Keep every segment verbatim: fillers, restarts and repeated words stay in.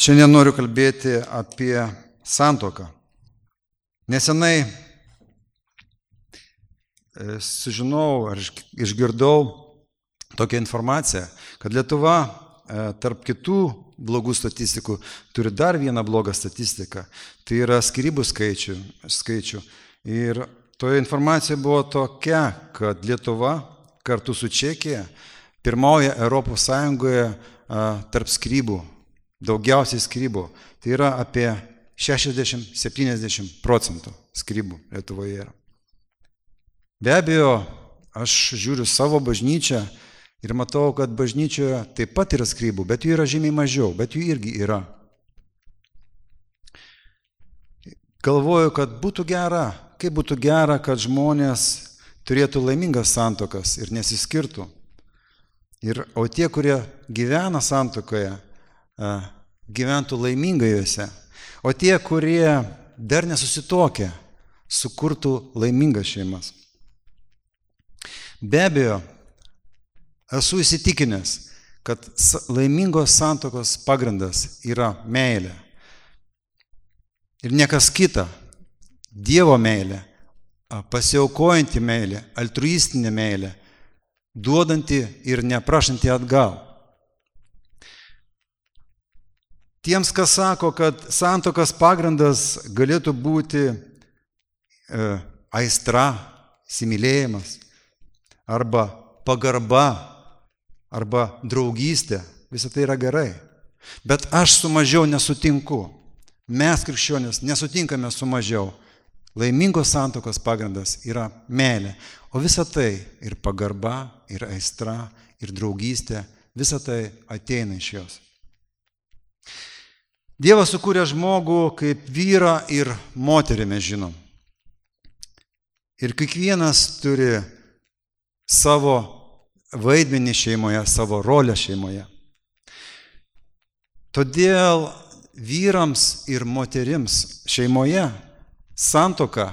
Šiandien noriu kalbėti apie santuoką. Nesenai sužinau ar išgirdau tokią informaciją, kad Lietuva tarp kitų blogų statistikų turi dar vieną blogą statistiką. Tai yra skyrybų skaičių. skaičių. Ir toje informacijoje buvo tokia, kad Lietuva kartu su Čekija pirmauja Europos Sąjungoje tarp skyrybų. Daugiausiai skyrybų. Tai yra apie šešiasdešimt iki septyniasdešimt procentų skyrybų Lietuvoje yra. Be abejo, aš žiūriu savo bažnyčią ir matau, kad bažnyčioje taip pat yra skyrybų, bet jų yra žymiai mažiau, bet jų irgi yra. Galvoju, kad būtų gera, kaip būtų gera, kad žmonės turėtų laimingas santuokas ir nesiskirtų. Ir, o tie, kurie gyvena santuokoje, gyventų laimingai juose, o tie, kurie dar nesusituokia, sukurtų laimingas šeimas. Be abejo, esu įsitikinęs, kad laimingos santuokos pagrindas yra meilė. Ir niekas kita, Dievo meilė, pasiaukojanti meilė, altruistinė meilė, duodanti ir neprašanti atgal. Tiems, kas sako, kad santuokos pagrindas galėtų būti e, aistra, įsimylėjimas, arba pagarba, arba draugystė, visą tai yra gerai. Bet aš su mažiau nesutinku. Mes, krikščionys, nesutinkame su mažiau. Laimingos santuokos pagrindas yra meilė. O visa tai ir pagarba, ir aistra, ir draugystė, visa tai ateina iš jos. Dievas sukūrė žmogų kaip vyrą ir moterį, mes žinom. Ir kiekvienas turi savo vaidmenį šeimoje, savo rolę šeimoje. Todėl vyrams ir moterims šeimoje santuoka,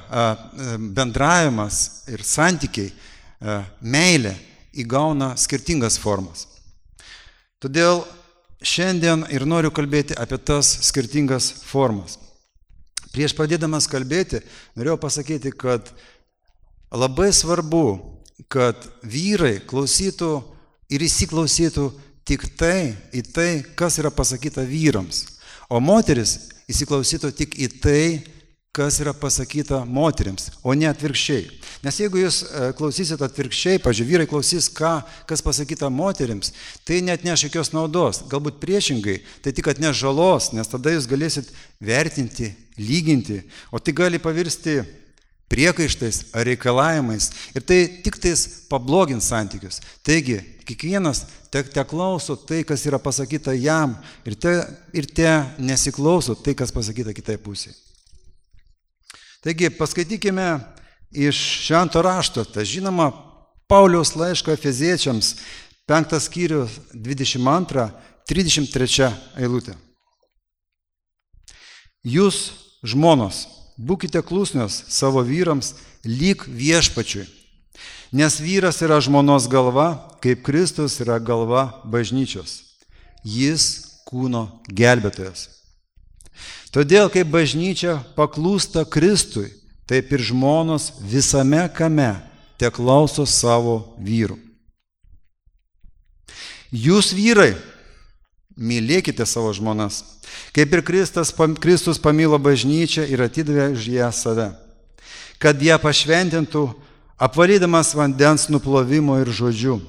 bendravimas ir santykiai, meilė įgauna skirtingas formas. Todėl šiandien ir noriu kalbėti apie tas skirtingas formas. Prieš pradėdamas kalbėti, norėjau pasakyti, kad labai svarbu, kad vyrai klausytų ir įsiklausytų tik tai į tai, kas yra pasakyta vyrams, o moteris įsiklausytų tik į tai, kas yra pasakyta moterims, o ne atvirkščiai. Nes jeigu jūs klausysit atvirkščiai, pavyzdžiui, vyrai klausys, ką, kas pasakyta moterims, tai net neš jokios naudos. Galbūt priešingai, tai tik atneš žalos, nes tada jūs galėsit vertinti, lyginti, o tai gali pavirsti priekaištais ar reikalavimais. Ir tai tik tais pablogins santykius. Taigi, kiekvienas te, te klauso tai, kas yra pasakyta jam, ir te, ir te nesiklauso tai, kas pasakyta kitai pusiai. Taigi, paskaitykime iš švento rašto, tai žinoma, Pauliaus laiško Efeziečiams, penktas skyrius, dvidešimt antra trisdešimt trečia eilutė. Jūs, žmonos, būkite klusnios savo vyrams lyg viešpačiui, nes vyras yra žmonos galva, kaip Kristus yra galva bažnyčios. Jis kūno gelbėtojas. Todėl, kaip bažnyčia paklūsta Kristui, taip ir žmonos visame kame te klauso savo vyrų. Jūs, vyrai, mylėkite savo žmonas, kaip ir Kristus, Kristus pamilo bažnyčią ir atidavė už ją save, kad ją pašventintų, apvalydamas vandens nuplovimo ir žodžiu,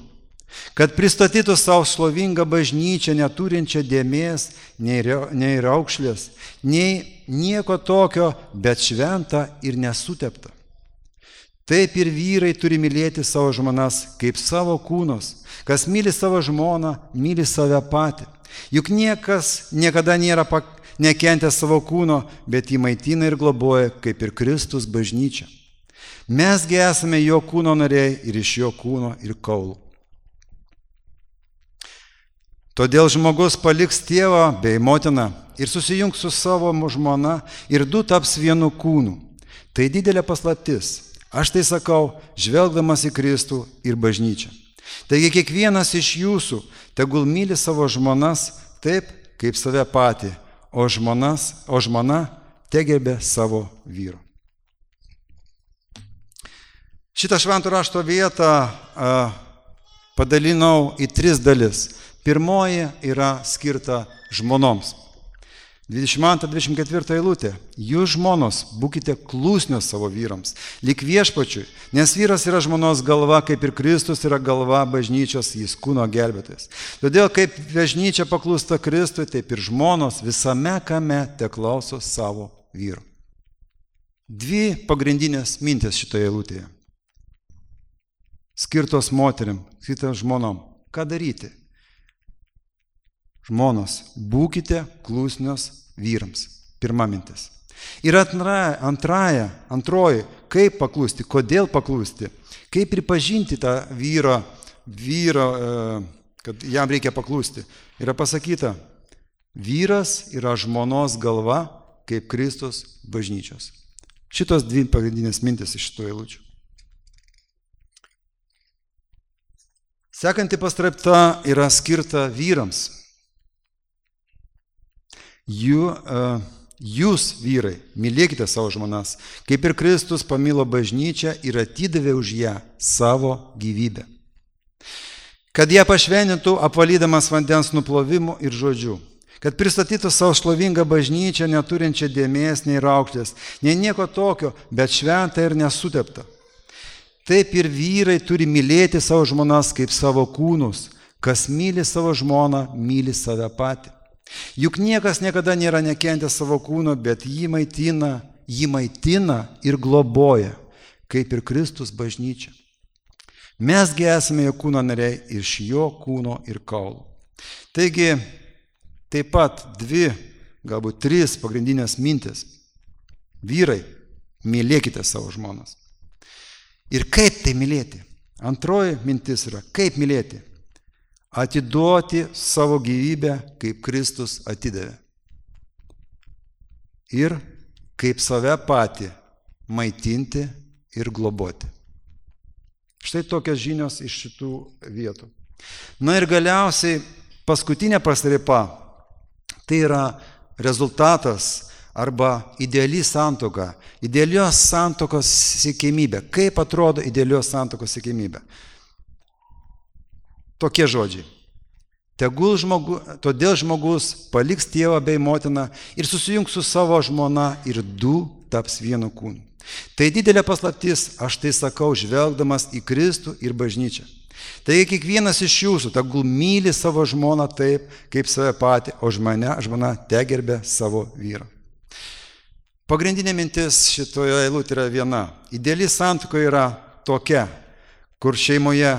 kad pristatytų savo šlovingą bažnyčią, neturinčią dėmės, nei raukšlės, nei nieko tokio, bet šventą ir nesuteptą. Taip ir vyrai turi mylėti savo žmonas kaip savo kūnus. Kas myli savo žmoną, myli save patį. Juk niekas niekada nėra nekentęs savo kūno, bet jį maitina ir globoja, kaip ir Kristus bažnyčia. Mesgi esame jo kūno nariai ir iš jo kūno ir kaulų. Todėl žmogus paliks tėvą bei motiną ir susijungs su savo žmona ir du taps vienu kūnu. Tai didelė paslaptis. Aš tai sakau, žvelgdamas į Kristų ir bažnyčią. Taigi kiekvienas iš jūsų tegul myli savo žmonas taip, kaip save patį, o, žmonas, o žmona tegerbė savo vyru. Šitą švento rašto vietą a, padalinau į tris dalis. Pirmoji yra skirta žmonoms. dvidešimt antra dvidešimt ketvirta eilutė. Jūs žmonos, būkite klusnios savo vyrams, lyg viešpačiui, nes vyras yra žmonos galva, kaip ir Kristus yra galva bažnyčios, jis kūno gelbėtojas. Todėl, kaip bažnyčia paklūsta Kristui, taip ir žmonos visame kame teklauso savo vyrų. Dvi pagrindinės mintys šitoje eilutėje. Skirtos moterim, skirtos žmonom. Ką daryti? Žmonos, būkite klusnios vyrams. Pirma mintis. Ir antraja, antraja, antroji, kaip paklusti, kodėl paklusti, kaip pripažinti tą vyrą, vyrą, kad jam reikia paklusti. Yra pasakyta, vyras yra žmonos galva, kaip Kristus bažnyčios. Šitos dvi pagrindinės mintis iš šitų eilučių. Sekanti pastraipta yra skirta vyrams. Jų, uh, jūs, vyrai, mylėkite savo žmonas, kaip ir Kristus pamilo bažnyčią ir atidavė už ją savo gyvybę. Kad ją pašvenintų, apvalydamas vandens nuplovimu ir žodžiu. Kad pristatytų savo šlovingą bažnyčią, neturinčią dėmės nei raukšlės, nei nieko tokio, bet šventą ir nesuteptą. Taip ir vyrai turi mylėti savo žmonas kaip savo kūnus. Kas myli savo žmoną, myli save patį. Juk niekas niekada nėra nekentęs savo kūno, bet jį maitina, jį maitina ir globoja, kaip ir Kristus bažnyčia. Mesgi esame jo kūno nariai iš jo kūno ir kaulų. Taigi, taip pat dvi, galbūt trys pagrindinės mintis. Vyrai, mylėkite savo žmonas. Ir kaip tai mylėti? Antroji mintis yra, kaip mylėti? Atiduoti savo gyvybę, kaip Kristus atidavė. Ir kaip save patį maitinti ir globoti. Štai tokios žinios iš šitų vietų. Na ir galiausiai paskutinė pastraipa, tai yra rezultatas arba ideali santuoka, idealios santuokos siekiamybė. Kaip atrodo idealios santuokos siekiamybė? Tokie žodžiai. Tegul žmogu, todėl žmogus paliks tėvą bei motiną ir susijungs su savo žmona ir du taps vienu kūnu. Tai didelė paslaptis, aš tai sakau, žvelgdamas į Kristų ir bažnyčią. Taigi kiekvienas iš jūsų tegul myli savo žmoną taip, kaip save patį, o žmona, žmona tegerbė savo vyrą. Pagrindinė mintis šitoje eilutėje yra viena. Ideali santuoka yra tokia, kur šeimoje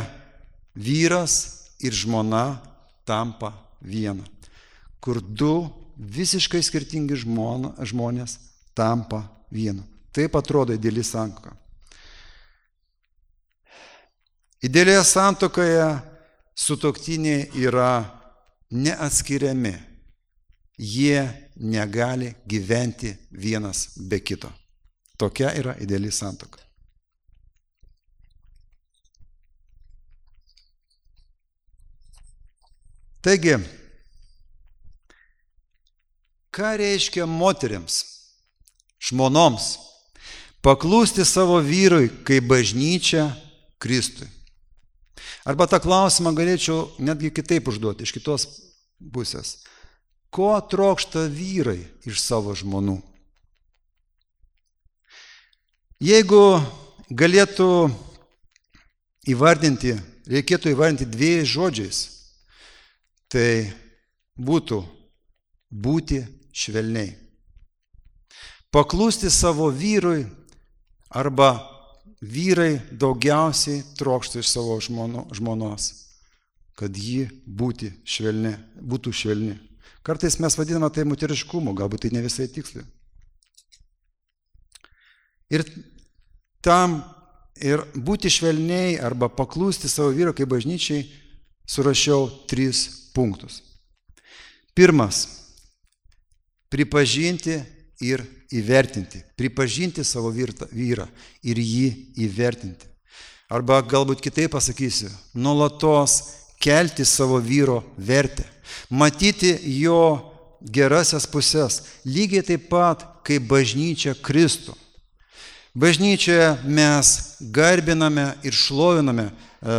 vyras ir žmona tampa viena. Kur du visiškai skirtingi žmona, žmonės tampa vienu. Taip atrodo ideali santuoka. Idealioje santuokoje sutuoktiniai yra neatskiriami. Jie negali gyventi vienas be kito. Tokia yra ideali santuoka. Taigi, ką reiškia moteriams, žmonoms, paklūsti savo vyrui, kaip bažnyčia Kristui? Arba tą klausimą galėčiau netgi kitaip užduoti, iš kitos pusės. Ko trokšta vyrai iš savo žmonų? Jeigu galėtų įvardinti, reikėtų įvardinti dviejais žodžiais, tai būtų būti švelniai. Paklūsti savo vyrui arba vyrai daugiausiai trokšta iš savo žmono, žmonos, kad ji būti švelni, būtų švelni. Kartais mes vadiname tai moteriškumu, galbūt tai ne visai tiksliai. Ir tam ir būti švelniai arba paklūsti savo vyro kaip bažnyčiai surašiau tris punktus. Pirmas – pripažinti ir įvertinti. Pripažinti savo vyrą ir jį įvertinti. Arba galbūt kitaip pasakysiu, nuolatos kelti savo vyro vertę. Matyti jo gerasias pusės, lygiai taip pat, kaip bažnyčia Kristų. Bažnyčioje mes garbiname ir šloviname e,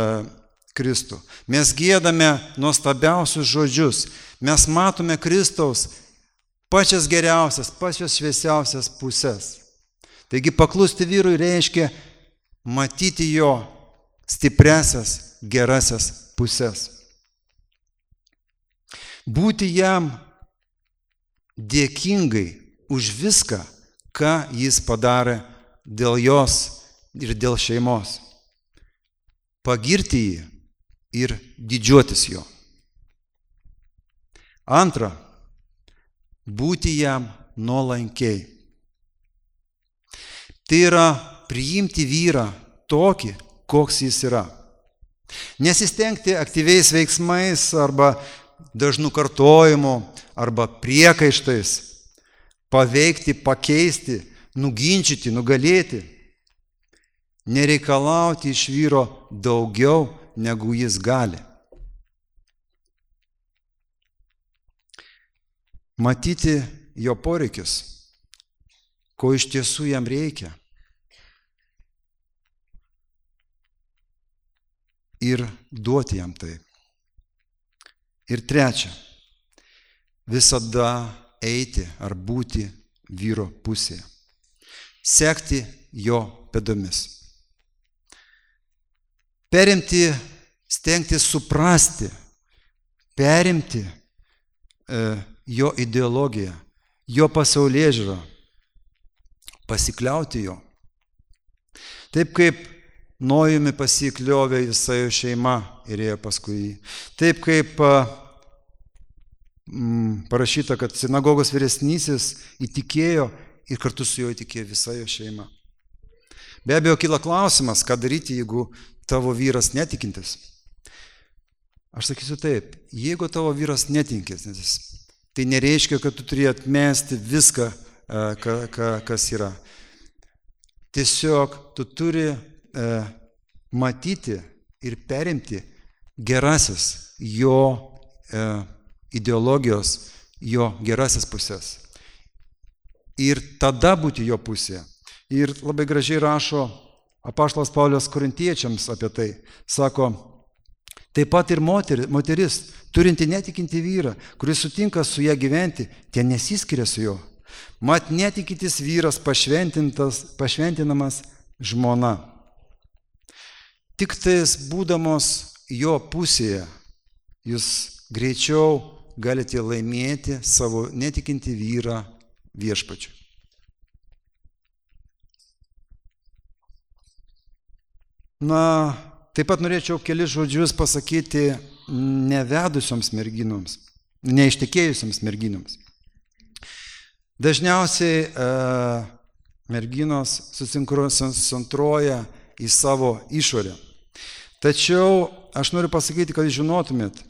Kristų. Mes giedame nuostabiausius žodžius. Mes matome Kristaus pačias geriausias, pačias šviesiausias pusės. Taigi paklusti vyrui reiškia matyti jo stipresias, gerasias pusės. Būti jam dėkingai už viską, ką jis padarė dėl jos ir dėl šeimos. Pagirti jį ir didžiuotis jo. Antra, būti jam nuolankiai. Tai yra priimti vyrą tokį, koks jis yra. Nesistengti aktyviais veiksmais arba dažnų kartojimų arba priekaištais paveikti, pakeisti, nuginčyti, nugalėti. Nereikalauti iš vyro daugiau, negu jis gali. Matyti jo poreikius, ko iš tiesų jam reikia. Ir duoti jam tai. Ir trečia, visada eiti ar būti vyro pusėje. Sekti jo pėdomis. Perimti, stengtis suprasti, perimti e, jo ideologiją, jo pasaulėžiūrą, pasikliauti jo. Taip kaip Nojumi pasikliovė Isaijo šeima ir ėjo paskui jį. Taip kaip mm, parašyta, kad sinagogos vyresnysis įtikėjo ir kartu su juo įtikėjo visa jo šeima. Be abejo, kyla klausimas, ką daryti, jeigu tavo vyras netikintis. Aš sakysiu taip, jeigu tavo vyras netikintis, tai nereiškia, kad tu turi atmesti viską, kas yra. Tiesiog tu turi e, matyti ir perimti gerasis jo e, ideologijos, jo gerasis pusės. Ir tada būti jo pusėje. Ir labai gražiai rašo apaštalas Paulius korintiečiams apie tai. Sako, taip pat ir moteris, moteris turinti netikinti vyrą, kuris sutinka su ją gyventi, tie nesiskiria su juo. Mat netikintis vyras pašventinamas žmona. Tik tais būdamos jo pusėje, jūs greičiau galite laimėti savo netikinti vyrą viešpačiu. Na, taip pat norėčiau kelis žodžius pasakyti nevedusioms merginoms, neištekėjusioms merginoms. Dažniausiai e, merginos susikoncentruoja į savo išorę. Tačiau aš noriu pasakyti, kad žinotumėt,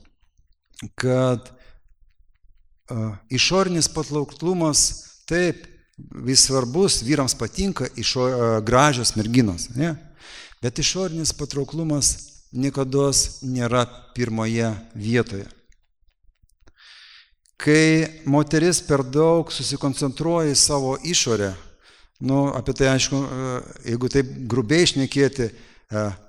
kad e, išorinis patrauklumas taip vis svarbus, vyrams patinka išo, e, gražios merginos, ne? Bet išorinis patrauklumas niekados nėra pirmoje vietoje. Kai moteris per daug susikoncentruoja į savo išorę, nu, apie tai aišku, jeigu taip grubiai šnekėti,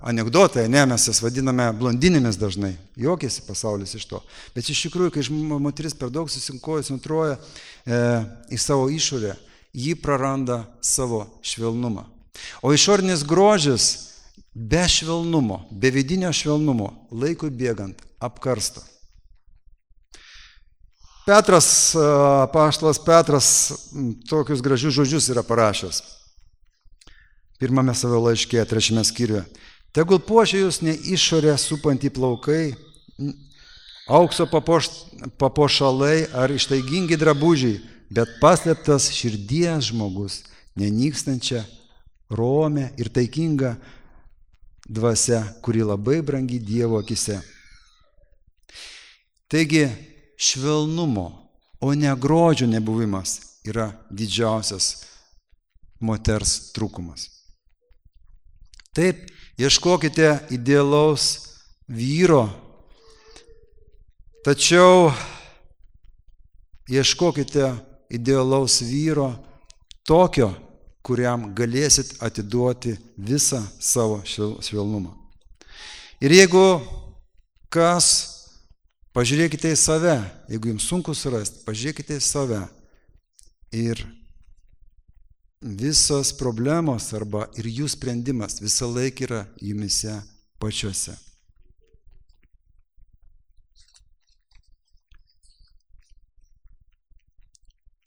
anekdotai, ne, mes jas vadiname blondinėmis dažnai, juokiasi pasaulis iš to. Bet iš tikrųjų, kai moteris per daug susikoncentruoja e, į savo išorę, ji praranda savo švelnumą. O išorinis grožis be švelnumo, be vidinio švelnumo, laikui bėgant, apkarsta. Petras, apaštalas Petras, tokius gražius žodžius yra parašęs. Pirmame savo laiške, trečiame skyriuje. Tegul puošia jūs ne išorę supantį plaukai, aukso papoš, papuošalai ar ištaigingi drabužiai, bet paslėptas širdies žmogus, nenykstančia, romė ir taikinga dvasia, kuri labai brangi Dievo akise. Taigi, švelnumo, o ne grožio nebuvimas yra didžiausias moters trūkumas. Taip, ieškokite idealaus vyro, tačiau Ieškokite idealaus vyro, tokio, kuriam galėsit atiduoti visą savo švelnumą. Ir jeigu kas, pažiūrėkite į save, jeigu jums sunku surasti, pažiūrėkite į save. Ir visos problemos arba ir jų sprendimas visą laiką yra jumise pačiuose.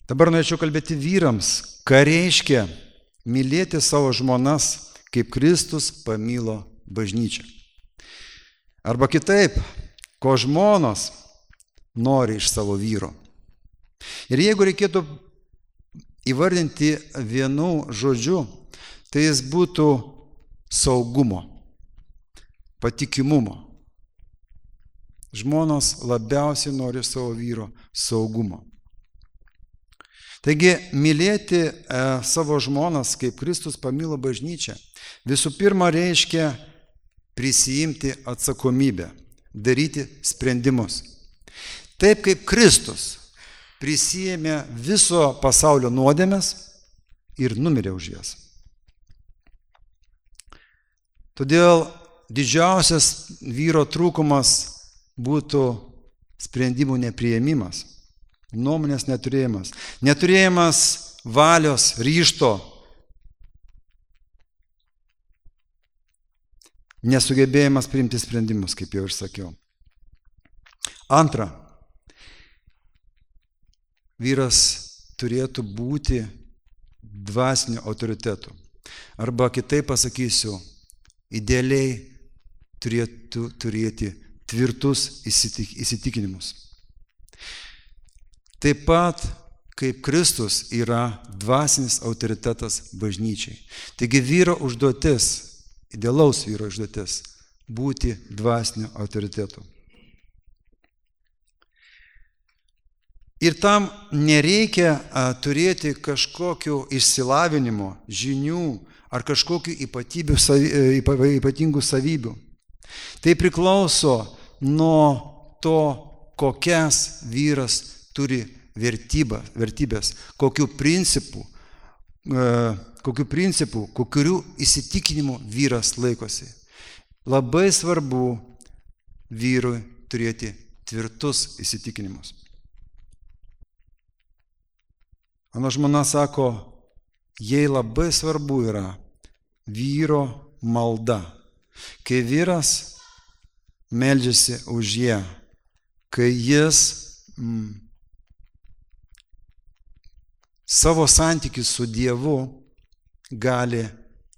Dabar norėčiau kalbėti vyrams, ką reiškia mylėti savo žmonas, kaip Kristus pamilo bažnyčią. Arba kitaip, ko žmonos nori iš savo vyro. Ir jeigu reikėtų įvardinti vienu žodžiu, tai jis būtų saugumo, patikimumo. Žmonos labiausiai nori savo vyro saugumo. Taigi, mylėti e, savo žmonas, kaip Kristus pamilo bažnyčią, visų pirma reiškia prisijimti atsakomybę, daryti sprendimus. Taip kaip Kristus prisijėmė viso pasaulio nuodėmes ir numirė už jas. Todėl didžiausias vyro trūkumas būtų sprendimų nepriėmimas, nuomonės neturėjimas, neturėjimas valios, ryžto, nesugebėjimas priimti sprendimus, kaip jau ir sakiau. Antra, vyras turėtų būti dvasiniu autoritetu. Arba kitaip pasakysiu, idealiai turėtų turėti tvirtus įsitikinimus. Taip pat, kaip Kristus yra dvasinis autoritetas bažnyčiai. Taigi vyro užduotis, idealaus vyro užduotis, būti dvasiniu autoritetu. Ir tam nereikia a, turėti kažkokių išsilavinimo, žinių ar kažkokių ypatybių, savi, ypatingų savybių. Tai priklauso nuo to, kokias vyras turi vertybą, vertybės, kokių principų, e, kokių principų, kokių įsitikinimų vyras laikosi. Labai svarbu vyrui turėti tvirtus įsitikinimus. Mano žmona sako, jai labai svarbu yra vyro malda. Kai vyras meldžiasi už ją, kai jis mm, savo santykius su Dievu gali,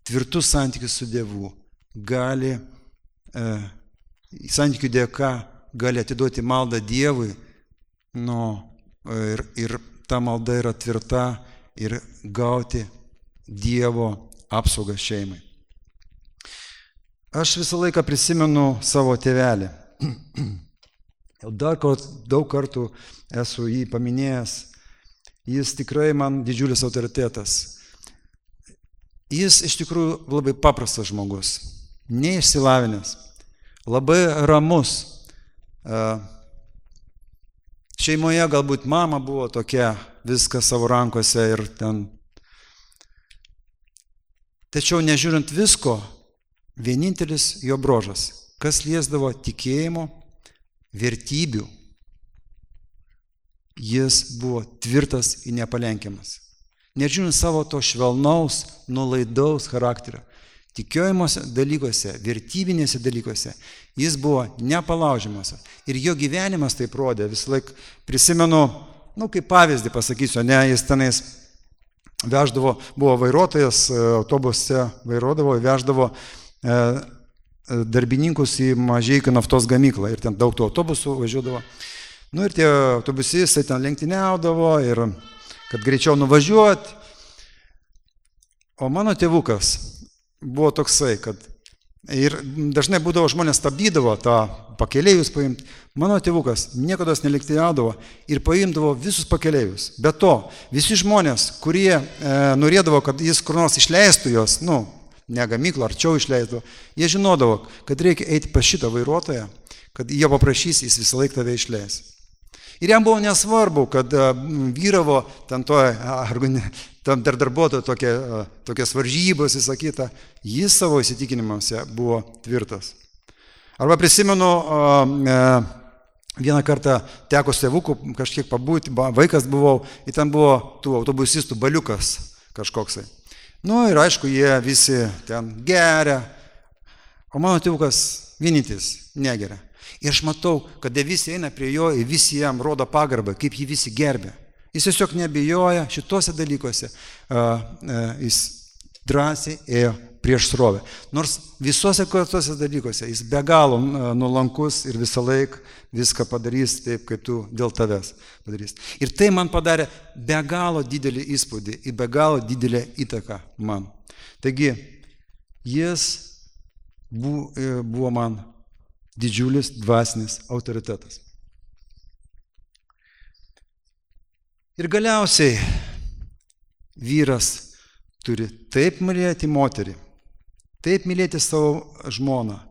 tvirtus santykius su Dievu, gali, e, santykių dėka gali atiduoti maldą Dievui, nu, ir, ir ta malda yra tvirta ir gauti Dievo apsaugą šeimai. Aš visą laiką prisimenu savo tėvelį. Jau dar daug kartų esu jį paminėjęs. Jis tikrai man didžiulis autoritetas. Jis iš tikrųjų labai paprastas žmogus, neišsilavinęs, labai ramus. Šeimoje galbūt mama buvo tokia, viskas savo rankose ir ten. Tačiau nežiūrint visko, vienintelis jo brožas, kas liesdavo tikėjimo, vertybių, jis buvo tvirtas ir nepalenkiamas. Nežiūrint savo to švelnaus, nuolaidaus charakterio, tikėjimuose dalykuose, vertybinėse dalykuose, jis buvo nepalaužiamas. Ir jo gyvenimas taip rodė. Visą laiką prisimenu, nu kaip pavyzdį pasakysiu, ne, jis tenais veždavo, buvo vairuotojas, autobuse vairuodavo, veždavo e, darbininkus į Mažeikių naftos gamyklą. Ir ten daug tų autobusų važiuodavo. Nu ir tie autobusistai ten lenktyniaudavo ir kad greičiau nuvažiuoti. O mano tėvukas buvo toksai, kad ir dažnai būdavo žmonės stabdydavo tą pakeleivius paimti. Mano tėvukas niekada nelenktyniaudavo ir paimdavo visus pakeleivius. Be to, visi žmonės, kurie e, norėdavo, kad jis kur nors išleistų jos, nu, ne gamyklą, arčiau išleisdavo, jie žinodavo, kad reikia eiti pas šitą vairuotoją, kad jie paprašys, jis visą laiką tave išleis. Ir jam buvo nesvarbu, kad vyravo tam to, tam dar darbuotojo tokie, tokias varžybos, visą kitą. Jis savo įsitikinimuose buvo tvirtas. Arba prisimenu, vieną kartą teko su tėvuku kažkiek pabūti, vaikas buvau, ir ten buvo tų autobusistų baliukas kažkoksai. Nu ir aišku, jie visi ten geria, o mano tėvukas vienintis negeria. Ir aš matau, kad visi eina prie jo ir visi jam rodo pagarbą, kaip jį visi gerbė. Jis tiesiog nebijoja šituose dalykuose, jis drąsiai ėjo prieš srovę. Nors visuose tuose dalykuose jis be galo nuolankus ir visą laiką viską padarys taip, kaip tu dėl tavęs padarys. Ir tai man padarė be galo didelį įspūdį ir be galo didelę įtaką man. Taigi, jis buvo man didžiulis dvasinis autoritetas. Ir galiausiai vyras turi taip mylėti moterį, taip mylėti savo žmoną,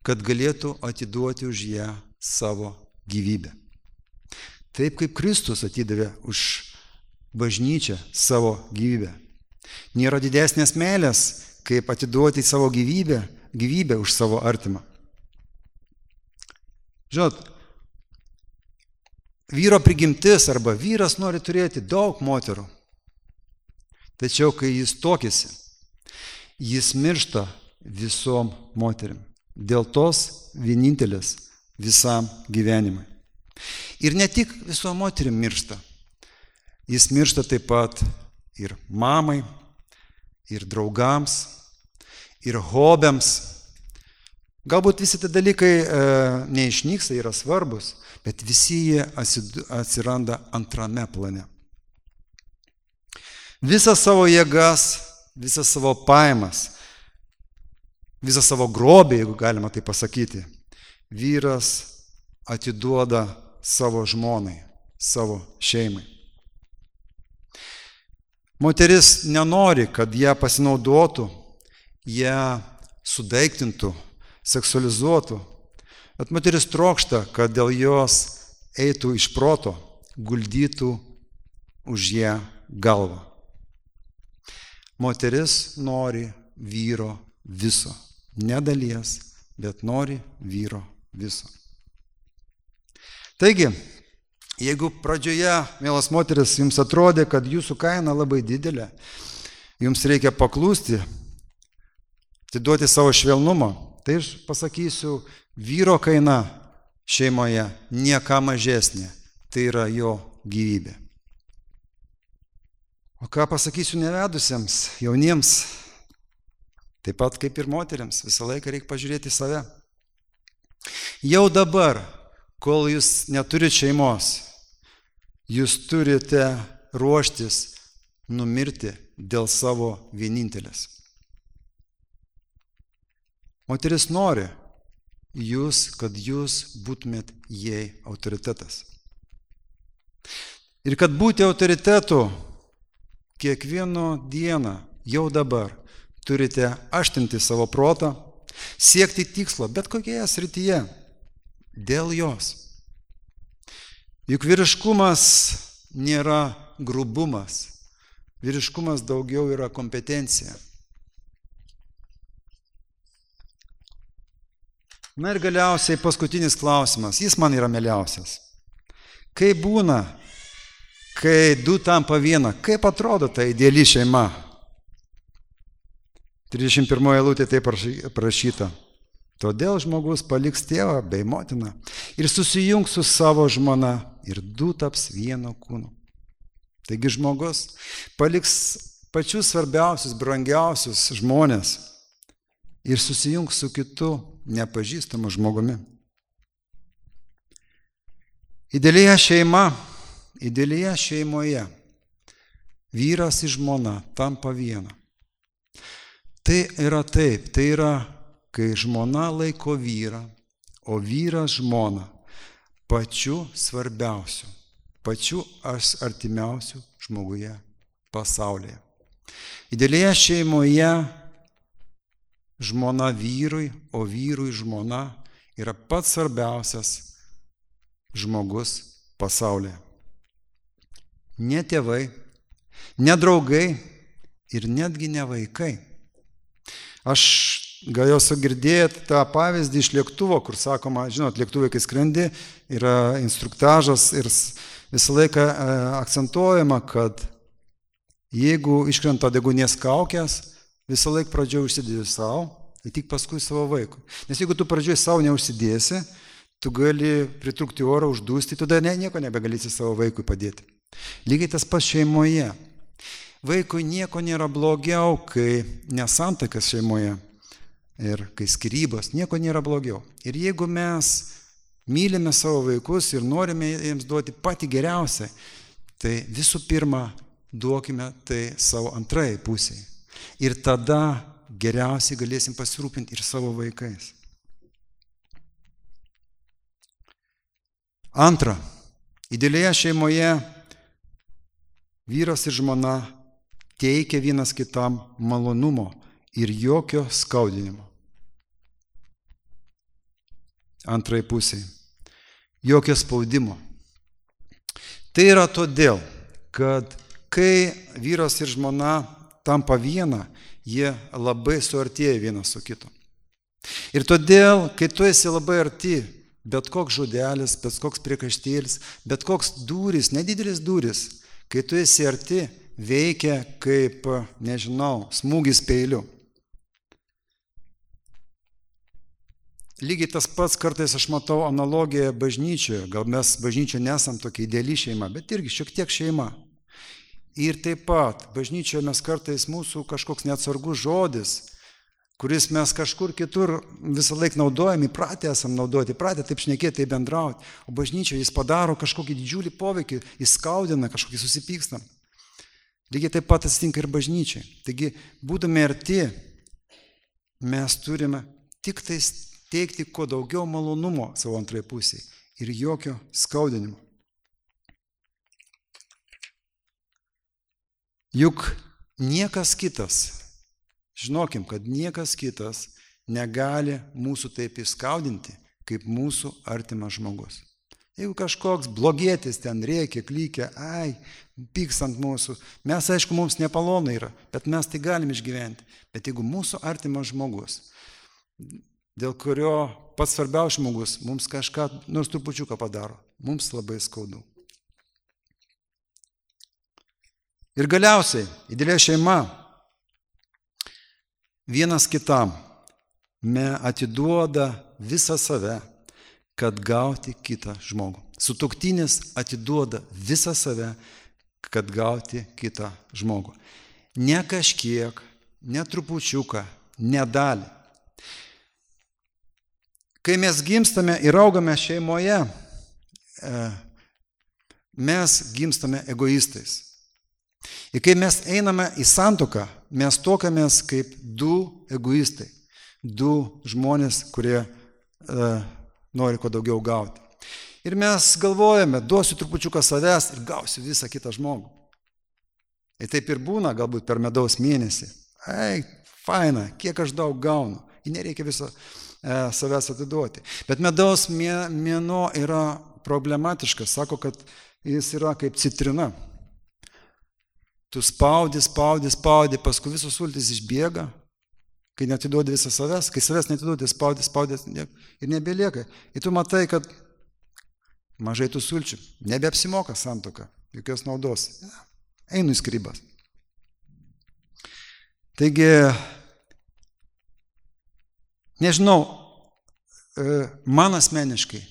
kad galėtų atiduoti už ją savo gyvybę. Taip kaip Kristus atidavė už bažnyčią savo gyvybę. Nėra didesnės meilės, kaip atiduoti savo gyvybę, gyvybę už savo artimą. Žinot, vyro prigimtis arba vyras nori turėti daug moterų. Tačiau, kai jis tokėsi, jis miršta visom moterim. Dėl tos vienintelės visam gyvenimui. Ir ne tik visom moterim miršta. Jis miršta taip pat ir mamai, ir draugams, ir hobiams. Galbūt visi tie dalykai e, neišnyksta, yra svarbus, bet visi jie atsiranda antrame plane. Visas savo jėgas, visas savo pajamas, visą savo grobį, jeigu galima tai pasakyti, vyras atiduoda savo žmonai, savo šeimai. Moteris nenori, kad ją pasinaudotų, ją sudaiktintų, seksualizuotų, bet moteris trokšta, kad dėl jos eitų iš proto, guldytų už ją galvą. Moteris nori vyro viso, ne dalies, bet nori vyro viso. Taigi, jeigu pradžioje, mielas moteris, jums atrodė, kad jūsų kaina labai didelė, jums reikia paklūsti, atiduoti savo švelnumą, tai aš pasakysiu, vyro kaina šeimoje nieka mažesnė, tai yra jo gyvybė. O ką pasakysiu nevedusiems, jauniems, taip pat kaip ir moteriams, visą laiką reikia pažiūrėti į save. Jau dabar, kol jūs neturite šeimos, jūs turite ruoštis numirti dėl savo vienintelės. Moteris nori jūs, kad jūs būtumėt jai autoritetas. Ir kad būti autoritetu kiekvieną dieną, jau dabar, turite aštinti savo protą, siekti tikslo, bet kokioje srityje, dėl jos. Juk vyriškumas nėra grubumas, vyriškumas daugiau yra kompetencija. Na ir galiausiai paskutinis klausimas, jis man yra mieliausias. Kaip būna, kai du tampa viena, kaip atrodo ta ideali šeima? trisdešimt pirmoje eilutėje taip parašyta. Todėl žmogus paliks tėvą bei motiną ir susijungs su savo žmona ir du taps vieno kūnu. Taigi žmogus paliks pačius svarbiausius, brangiausius žmonės ir susijungs su kitu nepažįstamu žmogumi. Idealioje šeima, idealioje šeimoje vyras ir žmona tampa viena. Tai yra taip, tai yra, kai žmona laiko vyrą, o vyras žmoną pačiu svarbiausiu, pačiu artimiausiu žmoguje pasaulyje. Idealioje šeimoje žmona vyrui, o vyrui žmona yra pats svarbiausias žmogus pasaulyje. Ne tėvai, ne draugai ir netgi ne vaikai. Aš gal jau esu girdėjęs tą pavyzdį iš lėktuvo, kur sakoma, žinot, lėktuvai, kai skrendi, yra instruktažas ir visą laiką akcentuojama, kad jeigu iškrenta degunės kaukės, visą laiką pradžioje užsidėti savo, ir tik paskui savo vaikui. Nes jeigu tu pradžioje savo neužsidėsi, tu gali pritrūkti oro, uždūsti, tada ne, nieko nebegalėsi savo vaikui padėti. Lygiai tas pats šeimoje. Vaikui nieko nėra blogiau, kai nesantakas šeimoje ir kai skyrybos, nieko nėra blogiau. Ir jeigu mes mylime savo vaikus ir norime jiems duoti patį geriausią, tai visų pirma duokime tai savo antrai pusiai. Ir tada geriausiai galėsim pasirūpinti ir savo vaikais. Antra, idealioje šeimoje vyras ir žmona teikia vienas kitam malonumo ir jokio skaudinimo. Antrai pusiai. Jokio spaudimo. Tai yra todėl, kad kai vyras ir žmona tampa viena, jie labai suartėja vienas su kitu. Ir todėl, kai tu esi labai arti, bet koks žodelis, bet koks priekaištėlis, bet koks dūris, nedidelis dūris, kai tu esi arti, veikia kaip, nežinau, smūgis peiliu. Lygiai tas pats kartais aš matau analogiją bažnyčioje, gal mes bažnyčioje nesam tokia ideali šeima, bet irgi šiek tiek šeima. Ir taip pat bažnyčioje mes kartais mūsų kažkoks neatsargus žodis, kuris mes kažkur kitur visą laiką naudojam, įpratę esam naudoti, įpratę taip šnekėti, taip bendrauti, o bažnyčioje jis padaro kažkokį didžiulį poveikį, jis skaudina, kažkokį susipykstam. Lygiai taip pat atsitinka ir bažnyčiai. Taigi, būdami arti, mes turime tik tais teikti kuo daugiau malonumo savo antrai pusiai ir jokio skaudinimo. Juk niekas kitas, žinokim, kad niekas kitas negali mūsų taip įskaudinti, kaip mūsų artimas žmogus. Jeigu kažkoks blogietis ten rėkia, klykia, ai, pyks ant mūsų, mes, aišku, mums nepalonai yra, bet mes tai galim išgyventi. Bet jeigu mūsų artimas žmogus, dėl kurio pats svarbiausias žmogus mums kažką, nors trupučiuką padaro, mums labai skaudu. Ir galiausiai, ideali šeima, vienas kitam me atiduoda visą save, kad gauti kitą žmogų. Sutuoktinis atiduoda visą save, kad gauti kitą žmogų. Ne kažkiek, ne trupučiuką, ne dalį. Kai mes gimstame ir augame šeimoje, mes gimstame egoistais. Ir kai mes einame į santuoką, mes tokiamės kaip du egoistai, du žmonės, kurie e, nori kuo daugiau gauti. Ir mes galvojame, duosiu trupučiuką savęs ir gausiu visą kitą žmogų. Ir taip ir būna, galbūt per medaus mėnesį. Ei, faina, kiek aš daug gaunu. Ir nereikia viso e, savęs atiduoti. Bet medaus mėnuo yra problematiškas. Sako, kad jis yra kaip citrina. Tu spaudi, spaudi, spaudi, paskui visos sultys išbėga, kai netiduodi visą savęs, kai savęs netiduodi, spaudi, spaudi ir nebelieka. Ir tu matai, kad mažai tų sulčių, nebeapsimoka santuoka, jokios naudos. Einu į skyrybas. Taigi, nežinau, man asmeniškai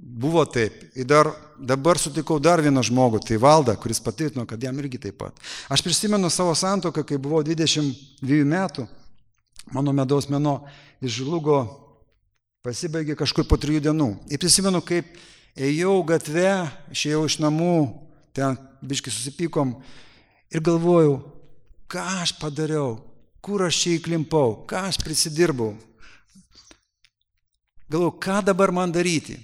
buvo taip. Ir dar, dabar sutikau dar vieną žmogų, tai Valdą, kuris patvirtino, kad jam irgi taip pat. Aš prisimenu savo santuoką, kai buvau dvidešimt dviejų metų, mano medaus mėnuo išžlugo, pasibaigė kažkur po trijų dienų. Ir prisimenu, kaip ėjau gatve, išėjau iš namų, ten biškai susipykom ir galvojau, ką aš padariau, kur aš čia įklimpau, ką aš prisidirbau. Galvojau, ką dabar man daryti.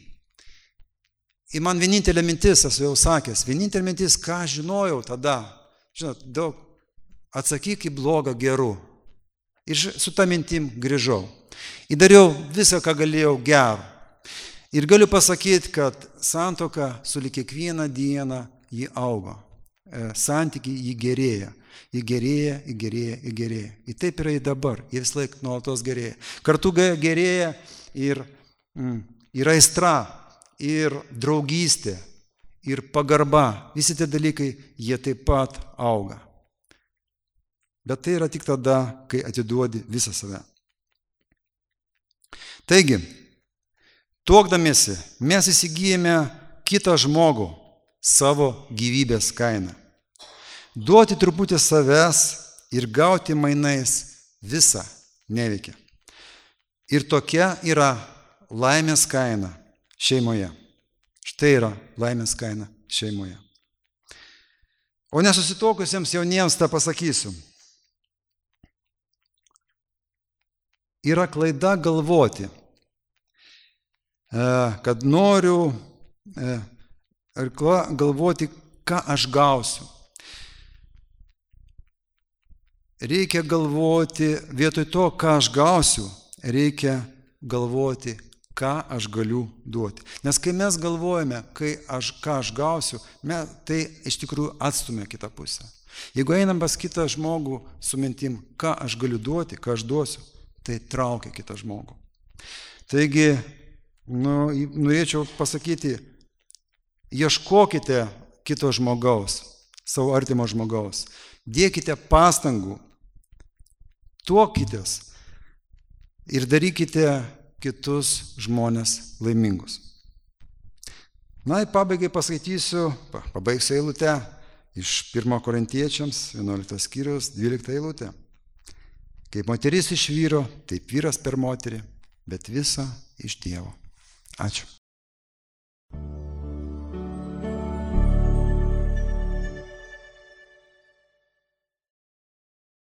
Ir man vienintelė mintis, esu jau sakęs, vienintelė mintis, ką aš žinojau tada, žinot, daug, atsakyk į blogą geru. Ir su tą mintim grįžau. Ir dariau visą, ką galėjau gero. Ir galiu pasakyti, kad santuoka sulig kiekvieną dieną jį augo. Santykiai jį gerėja. Jį gerėja, jį gerėja, jį gerėja. Ir taip yra ir dabar. Jie vis laik nuolatos gerėja. Kartu gerėja ir mm, yra aistra, ir draugystė, ir pagarba. Visi tie dalykai, jie taip pat auga. Bet tai yra tik tada, kai atiduodi visą save. Taigi, tuokdamiesi, mes įsigijame kitą žmogų savo gyvybės kainą. Duoti truputį savęs ir gauti mainais visą neveikia. Ir tokia yra laimės kaina šeimoje. Štai yra laimės kaina šeimoje. O nesusituokusiems jauniems tą pasakysiu. Yra klaida galvoti, kad noriu galvoti, ką aš gausiu. Reikia galvoti, vietoj to, ką aš gausiu, reikia galvoti, ką aš galiu duoti. Nes kai mes galvojame, kai aš, ką aš gausiu, mes, tai iš tikrųjų atstumia kitą pusę. Jeigu einam pas kitą žmogų su mintim, ką aš galiu duoti, ką aš duosiu, tai traukia kitą žmogų. Taigi, nu, norėčiau pasakyti, ieškokite kito žmogaus, savo artimo žmogaus, dėkite pastangų, tuokitės ir darykite kitus žmonės laimingus. Na, į pabaigai paskaitysiu, pabaigsiu eilutę iš pirmo Korintiečiams, vienuoliktas skyrius, dvylikta eilutė. Kaip moteris iš vyro, taip vyras per moterį, bet visa iš Dievo. Ačiū.